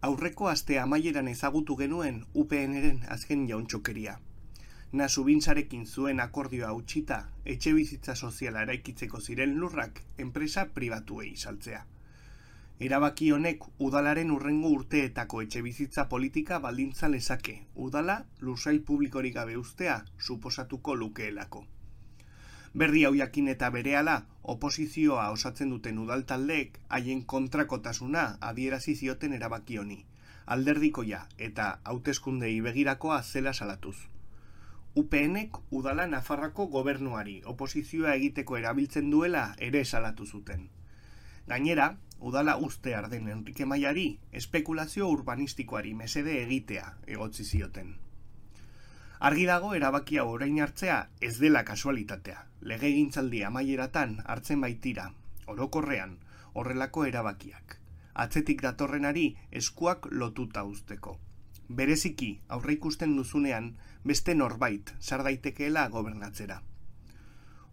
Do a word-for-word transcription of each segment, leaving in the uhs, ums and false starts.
Aurreko aste amaieran ezagutu genuen U P N-ren azken jauntxokeria. Nasu bintzarekin zuen akordioa utxita, etxe bizitza soziala eraikitzeko ziren lurrak enpresa pribatuei saltzea. Erabaki honek udalaren urrengo urteetako etxe bizitza politika baldintza lezake, udala lursail publikorik gabe uztea suposatuko lukeelako. Berri hau jakin eta berehala, oposizioa osatzen duten udaltaldeek haien kontrakotasuna adierazi zioten erabaki honi, alderdikoia eta hauteskundei begirakoa zela salatuz. U P N-ek udala Nafarroako gobernuari oposizioa egiteko erabiltzen duela ere salatu zuten. Gainera, udala uztear den Enrique Maiari espekulazio urbanistikoari mesede egitea egotzi zioten. Argi dago erabaki hau orain hartzea ez dela kasualitatea. Legegintzaldi amaieratan hartzen baitira, orokorrean, horrelako erabakiak. Atzetik datorrenari eskuak lotuta uzteko. Bereziki, aurreikusten duzunean, beste norbait sar daitekeela gobernatzera.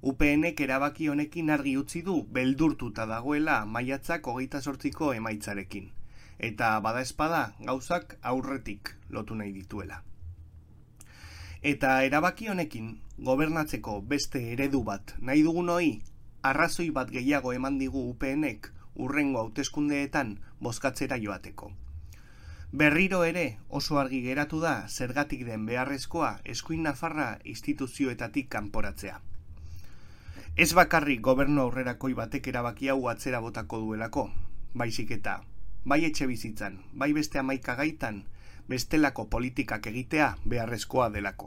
U P N-ek erabaki honekin argi utzi du beldurtuta dagoela maiatzak hogeita zortziko emaitzarekin, eta badaezpada gauzak aurretik lotu nahi dituela. Eta erabaki honekin, gobernatzeko beste eredu bat nahi dugunoi, arrazoi bat gehiago eman digu U P N-ek urrengo hauteskundeetan bozkatzera joateko. Berriro ere oso argi geratu da zergatik den beharrezkoa eskuin Nafarra instituzioetatik kanporatzea. Ez bakarrik gobernu aurrerakoi batek erabaki hau atzera botako duelako, baizik eta, bai etxe bizitzan, bai beste hamaika gaitan, bestelako politikak egitea beharrezkoa delako.